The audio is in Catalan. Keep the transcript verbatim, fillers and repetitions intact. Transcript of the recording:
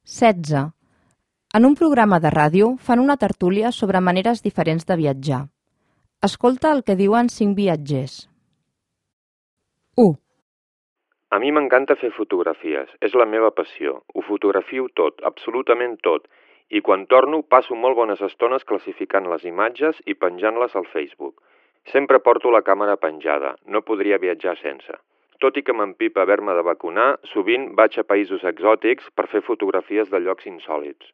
setze. En un programa de ràdio fan una tertúlia sobre maneres diferents de viatjar. Escolta el que diuen cinc viatgers. u. A mi m'encanta fer fotografies, és la meva passió. Ho fotografio tot, absolutament tot, i quan torno passo molt bones estones classificant les imatges i penjant-les al Facebook. Sempre porto la càmera penjada, no podria viatjar sense. Tot i que m'empipa haver-me de vacunar, sovint vaig a països exòtics per fer fotografies de llocs insòlits.